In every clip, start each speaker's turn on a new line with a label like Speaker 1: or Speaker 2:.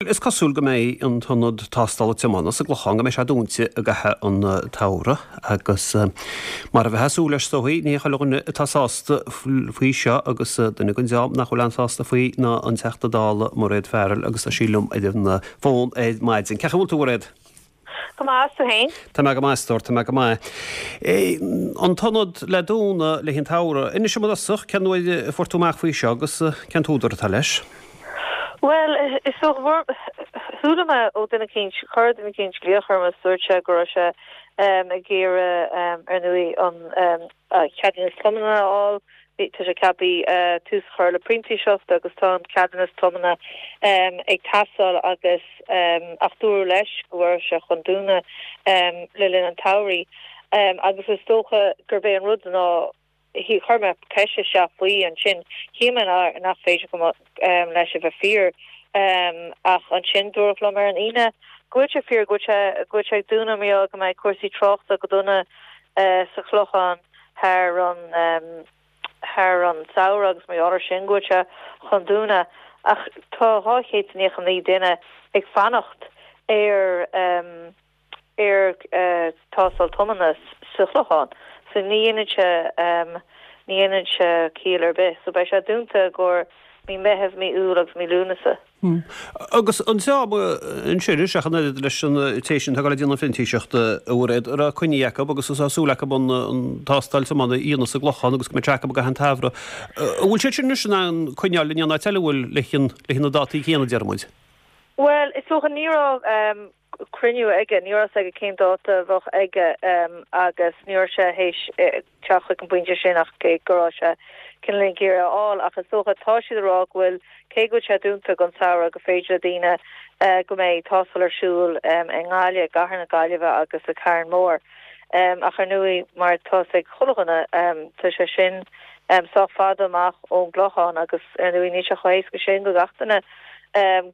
Speaker 1: Is cosúil go mbeidh an t-ionad tástála tiomána sa gClochán, go mbeidh sé dúnta i gcaitheamh an tsamhraidh agus mar a bheifeá ag súil leis is dóichí, ní hé chuile dhuine atá sásta faoi seo agus duine den dream nach bhfuil an-sásta faoi ná an Teachta Dála Mairéad Farrell agus tá sí liom ar an bhfón ar maidin. Cén chaoi a bhfuil tú a Mhairéad?
Speaker 2: Go maith, is tú féin?
Speaker 1: Tá mé go maith, a stór, tá mé go maith. An t-ionad le dúnadh le haghaidh an tsamhraidh. Inis dom i dtosach, cén uair a fuair tú amach faoi seo agus cén t-údar atá leis?
Speaker 2: Bhuel, is dócha, chuala mé ó duine eicínt, chuir duine eicínt glaoch orm agus dúirt sé go raibh sé ag iarraidh, ar ndóigh, an ceadúnas tiomána a fháil. Tá sé ceaptha tús a chur le printíseacht agus tá an ceadúnas tiomána ag teastáil agus ach dúradh leis go raibh sé chun dúnadh le linn an tsamhraidh agus is dócha gurb é an rud ná chuir mé ceist isteach faoi ansin shíl mé nach féidir go leis a bheith fíor ach ansin dúradh liom ar an Aoine go bhfuil sé fíor go bhfuil sé go bhfuil sé ag dúnadh mar gheall go mbeidh cúrsaí tráchta go dona sa Chlochán thar an thar an samhradh agus mar gheall ar sin go bhfuil sé chun dúnadh ach tá 299 duine ag fanacht ar ar tástáil tiomána sa Chlochán so ní dhéanann sé ní dhéanann sé ciall ar bith so beidh sé dúnta i gcomhair mí Meitheamh, mí Iúil agus mí Lúnasa.
Speaker 1: Agus an dream ansin, ach an oiread leis an té sin atá ag dul ag déanamh printíseachta, a Mhairéad, a raibh coinní acu agus tá súil acu an tástáil tiomána a dhéanamh sa gClochán agus go mbeidh sé acu i gcaitheamh an tsamhraidh. An bhfuil siad sin anois in ann coinneáil in aon áit eile, an bhfuil, le na dátaí céanna, deir muid?
Speaker 2: Bhuel, is dócha ní raibh cruinniú aige, ní raibh a fhios aige cén dáta a bheadh aige agus ní raibh sé théis teacht chuig an bpointe sin ach cé go raibh sé cineál ag iarraidh a fháil ach is dócha tá siad ag rá go bhfuil cé go bhfuil sé dúnta don samhradh gur féidir le daoine go mbeidh tástáil ar siúl i nGaillimh, i gcathair na Gaillimhe agus i Carn Mór. Ach ar ndóigh mar atá a fhios ag chuile dhuine tá sé sin sách fada amach ón gClochán agus ar ndóigh níl sé chomh héasca sin go gach duine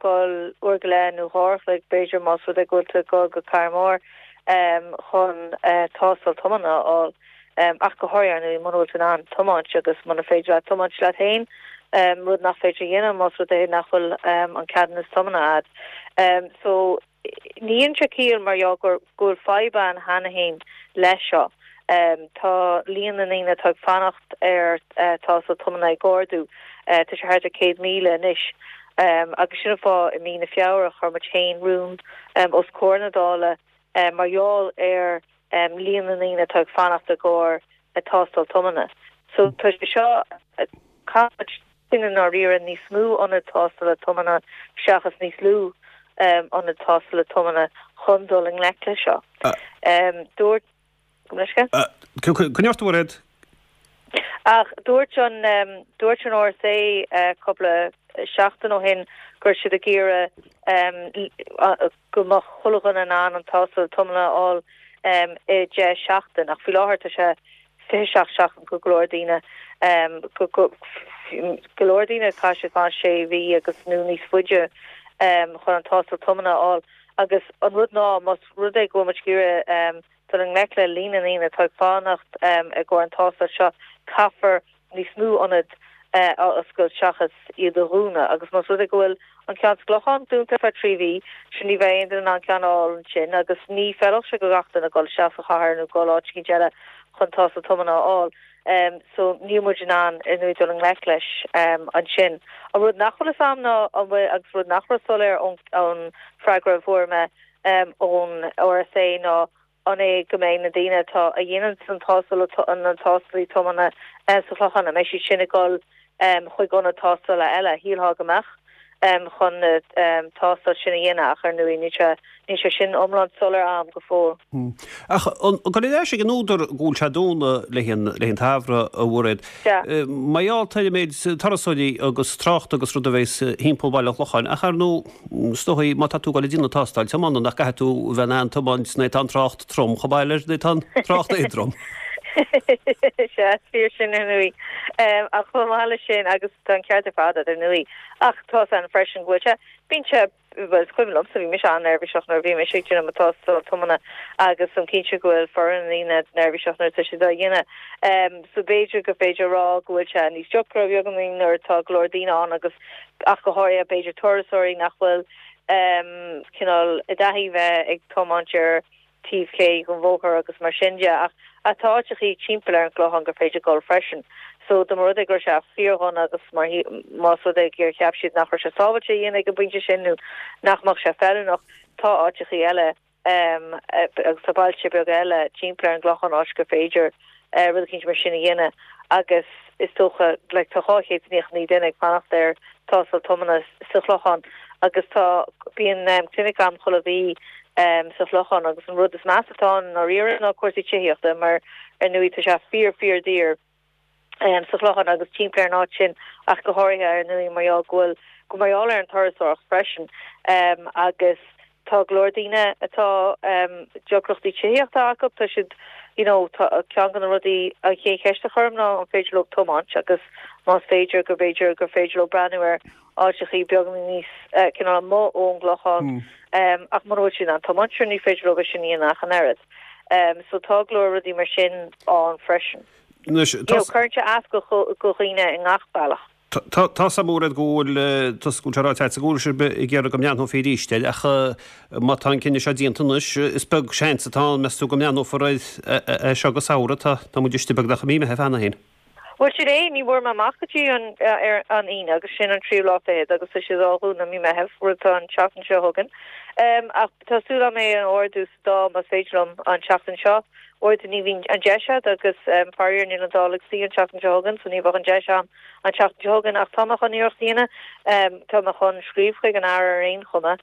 Speaker 2: dul uair go leith nó dhá uair a chloig b'fhéidir más rud é go bhfuil tú ag dul go Carn Mór chun tástáil tiomána a fháil. Ach go háirithe ar ndóigh muna bhfuil tú in ann tiomáint agus muna féidir leat tiomáint leat féin, rud nach féidir a dhéanamh más rud é nach bhfuil an ceadúnas tiomána a'd. So ní dhéanann sé ciall mar gheall go bhfuil fadhb ann cheana féin leis seo. Tá líon na ndaoine atá ag fanacht ar tástáil tiomána ag ardú. Tá sé thart ar 100,000 anois. Agus sin an fáth i mí na Feabhra chuir muid féin rún os comhair na Dála mar gheall ar líon na ndaoine atá ag fanacht i gcomhair tástáil tiomána. So tá sé seo, caithfidh muid i ndáiríre níos mó ionad tástála tiomána seachas níos lú ionad tástála tiomána chun dul i ngleic leis seo. Dúirt, gabh mo leithscéal?
Speaker 1: Coinnigh ort a Mhairéad.
Speaker 2: Ach dúirt an, dúirt an RSA cúpla seachtain ó shin go raibh siad ag iarraidh go mbeadh chuile dhuine in ann an tástáil tiomána a fháil i 10 seachtain, ach faoi láthair tá sé 27 seachtain go go leor daoine, go go leor daoine caithfidh siad fanacht sé mhí agus nó níos faide chun an tástáil tiomána a fháil. Agus an rud ná, más rud é go bhfuil muid ag iarraidh dul i ngleic le líon na ndaoine atá ag fanacht i gcomhair an tástáil seo, caithfear níos mó ionad a oscailt seachas iad a dhúnadh agus más rud é go bhfuil an ceann sa gClochán dúnta ar feadh 3 mhí, sin ní bheidh aon duine in ann ceann a fháil ansin agus ní feilfeadh sé go gach duine dul isteach sa chathair nó dul áit eicínt eile chun tástáil tiomána a fháil. So níl muid in ann ar ndóigh dul i ngleic leis ansin. An rud nach bhfuil fhios a'm ná an bhfuil agus rud nach raibh soiléir ón freagra a fuair mé ón RSA ná an é go mbeidh na daoine atá a dhéanann an tástáil na tástálaí tiomána sa Chlochán, an mbeidh siad sin ag dul chuig ionad tástála eile? Shílfeá go mbeadh chun na tástáil sin a dhéanamh ach ar ndóigh níl sé níl sé sin iomlán soiléir a'm go fóill.
Speaker 1: Ach an gabh ar ais ag an údar go bhfuil sé dúnadh le haghaidh an tsamhraidh, a Mhairéad. Mar gheall ar an méid turasóirí agus trácht agus rud a bheas thimpeall Bhaile an Chlocháin ach ar ndóigh Is dóigh, má tá tú ag dul ag déanamh tástáil tiomána, nach gcaithfidh tú a bheith in ann tiomáint nuair atá an trácht trom chomh maith leis nuair atá an trácht éadrom.
Speaker 2: Sea, is fíor sin ar ndóigh. Ach chomh maith leis sin, agus tá an ceart ar fad agat ar ndóigh, ach tá fhios a'm freisin go bhfuil sé, bíonn sé, bhuel is cuimhin liomsa, bhí mise an-neirbhíseach nuair a bhí mise ag déanamh mo tástáil tiomána agus táim cinnte go bhfuil foireann na ndaoine neirbhíseach nuair atá siad á dhéanamh. So b'fhéidir gur féidir a rá go bhfuil sé níos deacra beagáinín nuair atá go leor daoine ann agus ach go háirithe b'fhéidir turasóirí nach bhfuil. Cineál i dtaithí bheith ag tiomáint ar taobh clé den bhóthar agus mar sin de ach tá áiteachaí timpeall ar an gClochán gur féidir dul freisin. So dá mba rud é go raibh sé fíordhona agus mar más rud é gur cheap siad nach raibh sé sábháilte a dhéanamh ag an bpointe sin nó nach mbeadh sé feiliúnach, tá áiteachaí eile agus tá bailte beaga eile timpeall ar an gClochán áit gur féidir rud eicínt mar sin a dhéanamh agus is dócha like tá 299 duine ag fanacht ar tástáil tiomána sa Chlochán agus tá bíonn clinic agam chuile mhí sa Chlochán agus an rud is measa atá ann i ndáiríre ná cúrsaí tithíochta mar ar ndóigh tá sé fíor fíor daor sa Chlochán agus timpeall ar an áit sin ach go háirithe ar ndóigh mar gheall go bhfuil go mar gheall ar an turasóireacht freisin agus tá go leor daoine atá deacrachtaí tithíochta acu tá siad you know tá ceann de na rudaí an chéad cheist a chuirim ná an féidir leo tiomáint agus más féidir go b'fhéidir gur féidir leo breathnú ar áiteachaí beagáinín níos cineál amuigh ón gClochán ach mura bhfuil siad in ann tiomáint sure ní féidir leo é sin a dhéanamh ach an oiread. So tá go leor rudaí mar sin ann freisin.
Speaker 1: Anois,
Speaker 2: tá. Cuireann sé as go dhaoine i ngach bealach.
Speaker 1: Tá 's a'm Mairéad go bhfuil, go bhfuil sé ráite agat go bhfuil sibh ag iarraidh go mbreathnófaí arís air ach má tá an cinneadh seo déanta anois, is beag seans atá ann, meas tú, go mbreathnófar air as seo go samhradh. Tá muid istigh beagnach i mí Meitheamh cheana féin.
Speaker 2: Bhuel, sin é, ní bhfuair mé amach go dtí an ar an Aoine agus sin an tríú lá fichead agus tá siad á dhúnadh mí Meitheamh, rud atá an tseachtain seo chugainn. Ach tá súil agam é a ardú sa Dáil más féidir liom an tseachtain seo. Uaireanta ní bhíonn an deis agat agus faraor níl an Dáil ag suí an tseachtain seo chugainn so ní bheadh an deis agam an tseachtain seo chugainn ach tá mé chun iarracht a dhéanamh. Tá mé chun scríobh chuig an Aire ar aon chuma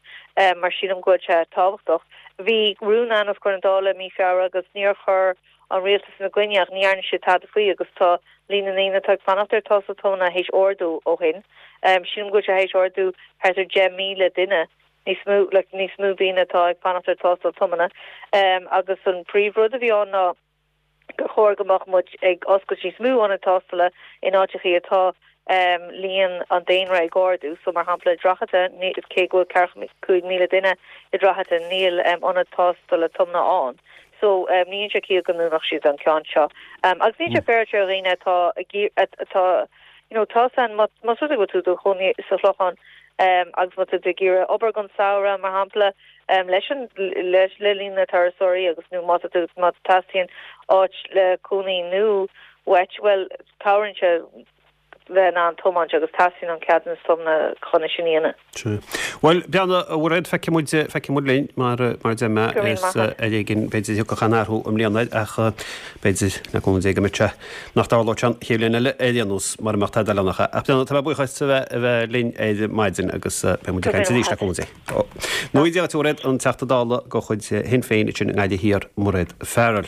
Speaker 2: mar sílim go bhfuil sé tábhachtach. Bhí rún ann os comhair na Dála i mí Feabhra agus níor chuir an rialtas ina gcoinne ach ní dhearna siad tada faoi agus tá líon na ndaoine atá ag fanacht ar tástáil tiomána théis ardú ó shin. Sílim go bhfuil sé théis ardú thart ar 10,000 duine, níos mó, like, níos mó daoine atá ag fanacht ar tástáil tiomána. Agus an príomhrud a bhí ann ná gur chóir go mbeadh muid ag oscailt níos mó ionad tástála in áiteachaí atá líon an daonra ag ardú. So, mar shampla, i Droichead Átha, cé go bhfuil ceathracha 5,000 duine i Droichead Átha, níl ionad tástála tiomána ann. So, ní dhéanann sé ciall go ndúnfadh siad an ceann seo. Agus níl sé féaráilte ar dhaoine atá ag, atá, you know, tá san, más rud é go bhfuil tú i do chónaí sa Chlochán agus má tá tú ag iarraidh obair don samhradh, mar shampla, leis an, leis, le linn na turasóirí agus nó má tá tú, má teastaíonn áit le cónaí nó uait, bhuel, cabhraíonn sé bheith in ann tiomáint agus teastaíonn an ceadúnas tiomána chun é sin a dhéanamh.
Speaker 1: Sea. Bhuel, Breandán, a Mhairéad, feicfidh muid, feicfidh muid linn, mar, mar a deir mé,
Speaker 2: Go raibh
Speaker 1: is
Speaker 2: maith agat.
Speaker 1: ar éigin, b'fhéidir, thiocfadh an athrú i mbliana air, ach b'fhéidir, le cúnamh Dé, go mbeadh sé, nach dtarlódh sé an chéad bhliain eile ar aon nós, mura mbeadh tada eile ann ach é. Ach Breandán, tá mé buíoch as a bheith, a bheith linn ar maidin agus beidh muid
Speaker 2: Go
Speaker 1: ag
Speaker 2: raibh
Speaker 1: caint arís
Speaker 2: maith
Speaker 1: le
Speaker 2: agat.
Speaker 1: cúnamh Dé. Ó. Nó Dia duit, a Mhairéad, an Teachta Dála de chuid Shinn Féin ansin i nGaillimh Thiar, Mairéad Farrell.